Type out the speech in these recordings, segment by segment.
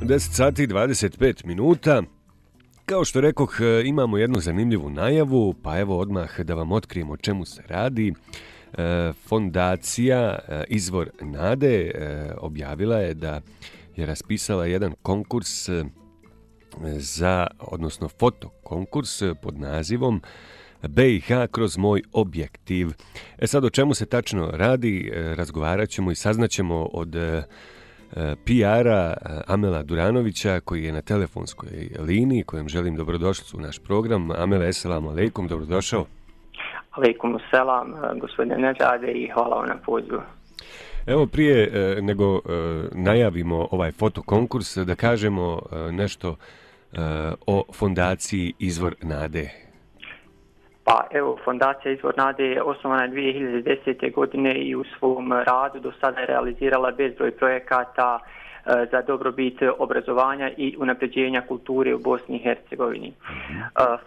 10 sati i 25 minuta. Kao što rekoh, imamo jednu zanimljivu najavu, pa evo odmah da vam otkrijemo o čemu se radi. Fondacija Izvor Nade objavila je da je raspisala jedan konkurs odnosno fotokonkurs pod nazivom BiH kroz moj objektiv. Sad o čemu se tačno radi, razgovarat ćemo i saznaćemo od PR-a Amela Duranovića, koji je na telefonskoj liniji, kojem želim dobrodošlicu u naš program. Amele, eselamu alejkum, dobrodošao. Alejkum selam, gospodine Neđade, i hvala vam na pozivu. Evo, prije nego najavimo ovaj fotokonkurs, da kažemo nešto o fondaciji Izvor Nade. Pa evo, fondacija Izvor Nade je osnovana 2010. godine i u svom radu do sada je realizirala bezbroj projekata za dobrobit obrazovanja i unapređenja kulture u Bosni i Hercegovini.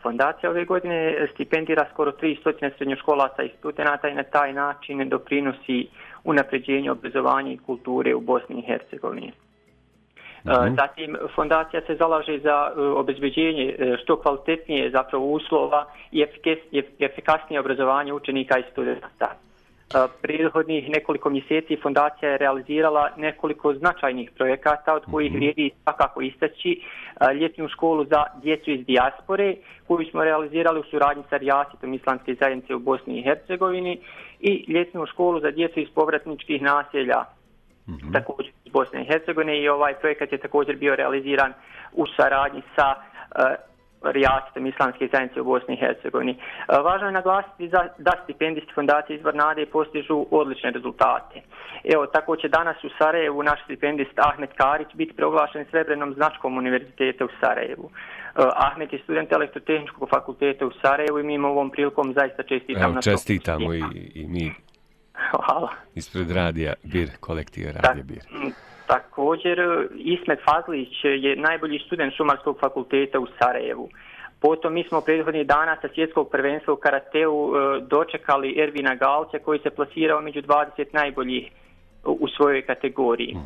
Fondacija ove godine stipendira skoro 300 srednjoškolaca i studenata i na taj način doprinosi unapređenju obrazovanja i kulture u Bosni i Hercegovini. Zatim, fondacija se zalaže za obezbeđenje što kvalitetnije zapravo uslova i efikasnije obrazovanje učenika i studenta. Prethodnih nekoliko mjeseci fondacija je realizirala nekoliko značajnih projekata, od kojih vrijedi svakako istaći ljetnu školu za djecu iz dijaspore, koju smo realizirali u suradnji sa Rijasitom Islamske zajednice u Bosni i Hercegovini, i ljetnu školu za djecu iz povratničkih naselja također iz Bosne i Hercegovine, i ovaj projekat je također bio realiziran u saradnji sa Rijasitom Islamske zajednice u Bosni i Hercegovini. Važno je naglasiti da stipendisti fondacije Izvor Nade postižu odlične rezultate. Evo, tako će danas u Sarajevu naš stipendist Ahmet Karić biti proglašen srebrnom značkom Univerziteta u Sarajevu. Ahmet je student Elektrotehničkog fakulteta u Sarajevu i mi im ovom prilikom zaista čestitamo. Evo, čestitamo i mi. Hvala. Ispred radija BIR, kolektiva radija BIR. Također, Ismet Fazlić je najbolji student Šumarskog fakulteta u Sarajevu. Potom mi smo prethodnih dana sa svjetskog prvenstva u karateu dočekali Ervina Galća, koji se plasirao među 20 najboljih u svojoj kategoriji.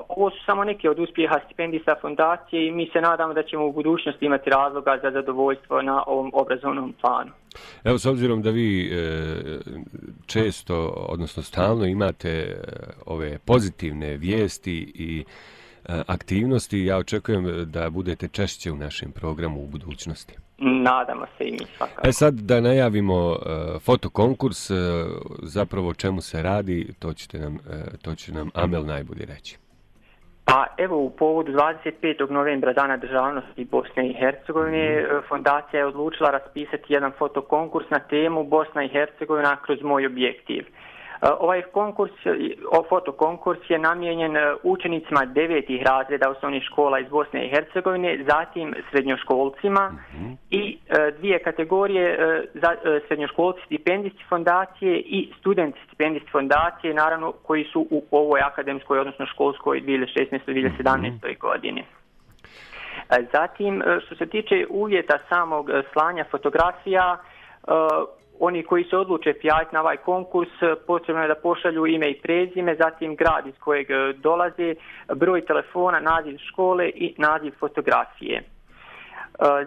Ovo su samo neke od uspjeha stipendista fondacije i mi se nadamo da ćemo u budućnosti imati razloga za zadovoljstvo na ovom obrazovnom planu. Evo, s obzirom da vi često, odnosno stalno imate ove pozitivne vijesti i aktivnosti, ja očekujem da budete češće u našem programu u budućnosti. Nadamo se i mi svakako. Sad da najavimo fotokonkurs, zapravo o čemu se radi, to će nam Amel najbolje reći. Pa evo, u povodu 25. novembra, Dana državnosti Bosne i Hercegovine, fondacija je odlučila raspisati jedan fotokonkurs na temu Bosna i Hercegovina kroz moj objektiv. Ovaj fotokonkurs je namijenjen učenicima 9. razreda osnovnih škola iz Bosne i Hercegovine, zatim srednjoškolcima i dvije kategorije za srednjoškolci stipendisti fondacije i studenti stipendisti fondacije, naravno koji su u ovoj akademskoj, odnosno školskoj 2016-2017. godini. Zatim, što se tiče uvjeta samog slanja fotografija, oni koji se odluče prijaviti na ovaj konkurs, potrebno je da pošalju ime i prezime, zatim grad iz kojeg dolaze, broj telefona, naziv škole i naziv fotografije.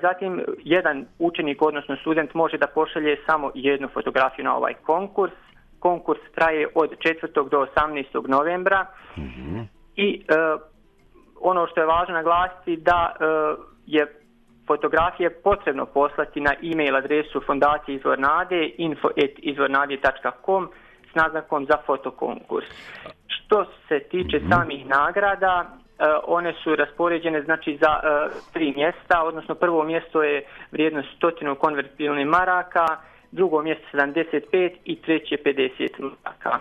Zatim, jedan učenik, odnosno student, može da pošalje samo jednu fotografiju na ovaj konkurs. Konkurs traje od 4. do 18. novembra i ono što je važno naglasiti da je fotografije potrebno poslati na e-mail adresu fondacije Izvor Nade info@izvornade.com s naznakom za fotokonkurs. Što se tiče samih nagrada, one su raspoređene znači za 3 mjesta, odnosno prvo mjesto je vrijednost 100 konvertibilnih maraka, drugo mjesto 75 i treće 50 maraka.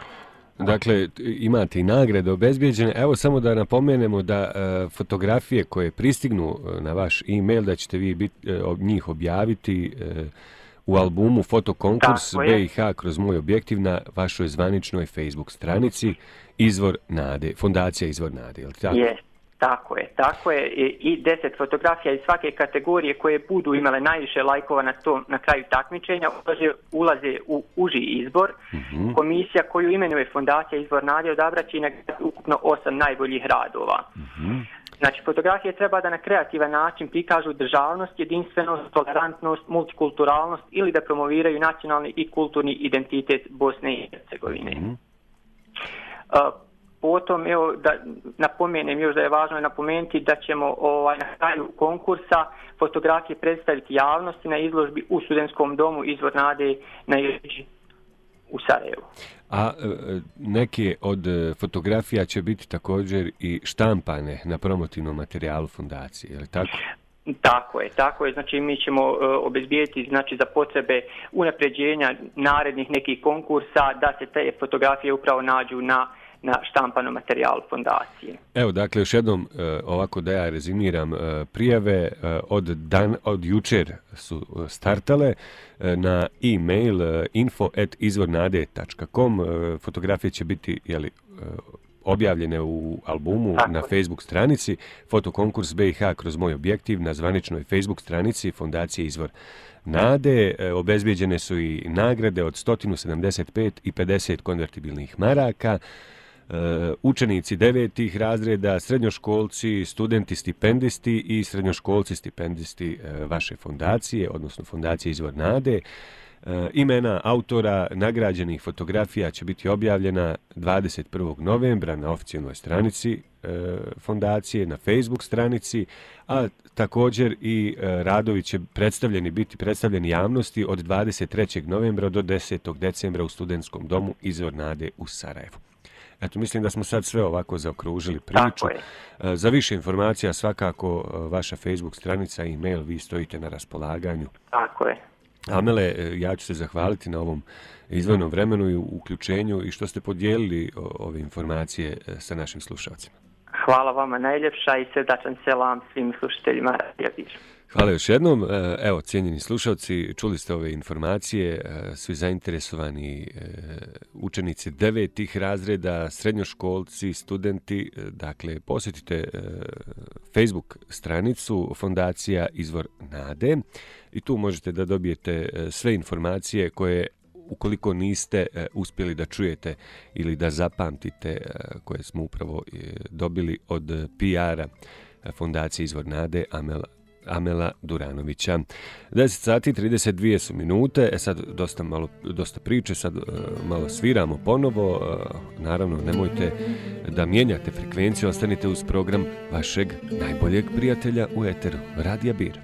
Dakle, imate i nagrade obezbijeđene. Evo samo da napomenemo da fotografije koje pristignu na vaš e-mail, da ćete vi njih objaviti u albumu Fotokonkurs BiH kroz moj objektiv na vašoj zvaničnoj Facebook stranici Izvor Nade, Fondacija Izvor Nade, je li tako? Tako je. I 10 fotografija iz svake kategorije koje budu imale najviše lajkova na kraju takmičenja ulaze u uži izbor. Komisija koju imenuje Fondacija Izvor Nade odabraće ukupno 8 najboljih radova. Znači, fotografije treba da na kreativan način prikažu državnost, jedinstvenost, tolerantnost, multikulturalnost ili da promoviraju nacionalni i kulturni identitet Bosne i Hercegovine. Potom, evo, da napomenem još da je važno napomenuti da ćemo na kraju konkursa fotografije predstaviti javnosti na izložbi u Studentskom domu Izvor nade na Jelići u Sarajevu. A neke od fotografija će biti također i štampane na promotivnom materijalu fondacije, je li tako? Tako je. Znači, mi ćemo obezbijeti, znači, za potrebe unapređenja narednih nekih konkursa da se te fotografije upravo nađu na štampanom materijalu fondacije. Evo, dakle, još jednom, ovako da ja rezimiram, prijave od jučer su startale na e-mail info@izvornade.com. Fotografije će biti, objavljene u albumu na Facebook stranici, fotokonkurs BiH kroz moj objektiv na zvaničnoj Facebook stranici Fondacije Izvor nade. Obezbijeđene su i nagrade od 175 i 50 konvertibilnih maraka. Učenici 9. razreda, srednjoškolci, studenti stipendisti i srednjoškolci stipendisti vaše fondacije, odnosno Fondacije Izvor nade. Imena autora nagrađenih fotografija će biti objavljena 21. novembra na oficijalnoj stranici fondacije, na Facebook stranici, a također i radovi će biti predstavljeni javnosti od 23. novembra do 10. decembra u Studentskom domu Izvor nade u Sarajevu. Eto, mislim da smo sad sve ovako zaokružili priču. Za više informacija svakako vaša Facebook stranica i e-mail, vi stojite na raspolaganju. Tako je. Amele, ja ću se zahvaliti na ovom izdvojenom vremenu i uključenju i što ste podijelili ove informacije sa našim slušalcima. Hvala vama najljepša i srdačan selam svim slušateljima Radija Bir. Hvala još jednom. Evo, cijenjeni slušalci, čuli ste ove informacije, svi zainteresovani učenici 9. razreda, srednjoškolci, studenti, dakle, posjetite Facebook stranicu Fondacija Izvor nade i tu možete da dobijete sve informacije koje, ukoliko niste uspjeli da čujete ili da zapamtite, koje smo upravo dobili od PR-a Fondacije Izvor nade Amela Duranovića. 10 sati 32 su minute, sad dosta priče, sad malo sviramo ponovo. Naravno, nemojte da mijenjate frekvenciju, ostanite uz program vašeg najboljeg prijatelja u eteru, Radija Bir.